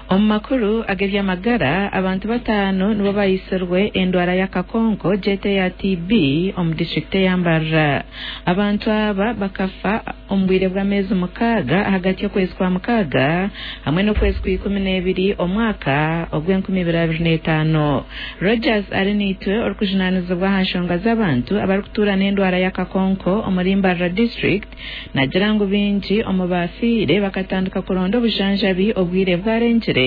Omu makuru ag'eby'amagara, abantu batano nibo bayisirwe endwara y'akakonko gyete eya TB omu disiturikiti eya Mbarara. Abantu aba bakafa omu bwire bw'ameezi 6 ahagati y'okwezi kwa 6 hamwe n'okwezi kwa 12 omwaka ogw'e2025. Rogers Arinaitwe orikujunaanizibwa aha nshonga z'abantu abarikutuura n'endwara y'akakonko omuri Mbarara district nagira ngu baingi omu bafiire bakatandika kuronda obujanjabi obwire bwarengire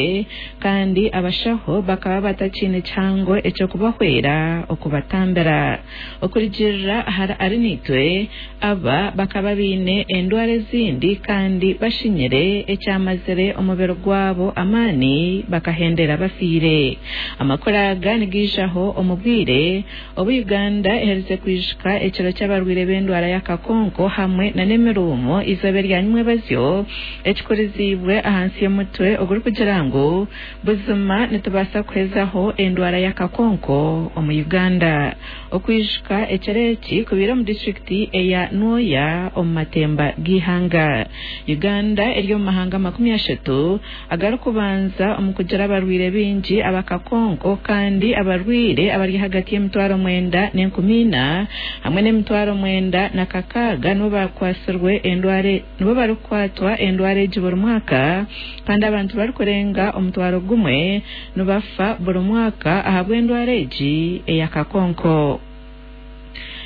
kandi abashaho bakaba batakiine kihango eky'okubahwera okubatambira. Okurugirira ahari Arinaitwe, aba bakaba baine endwara ezindi kandi bashinyire ekyamazire omubiri gwabo amaani bakahendera bafiire. Amakuru aga nigaijaho omu bwire obu Uganda eherize kwijuka ekiro ky'abarwaire b'endwara y'akakonko hamwe n'emiruumo eizooba erya nyimwebazyo ekikuriziibwe ahansi y'omutwe ogurikugira ngu buzima nitubaasa kuhezaho endwara y'akakonko omu Uganda. Okwijuka ekiro eki kubaire omu disiturikiti eya Nwoya omu matemba g'eihanga. Uganda eri omu mahanga 30 agarikubanza omu kugira abarwaire baingi abakakonko kandi abarwaire abari ahagati y'904,000 hamwe n'906,000 nibo barikukwatwa endwara egi buri mwaka kandi abantu barikurenga 10,000 nibafa buri mwaka ahabw'endwara egi ey'akakonko.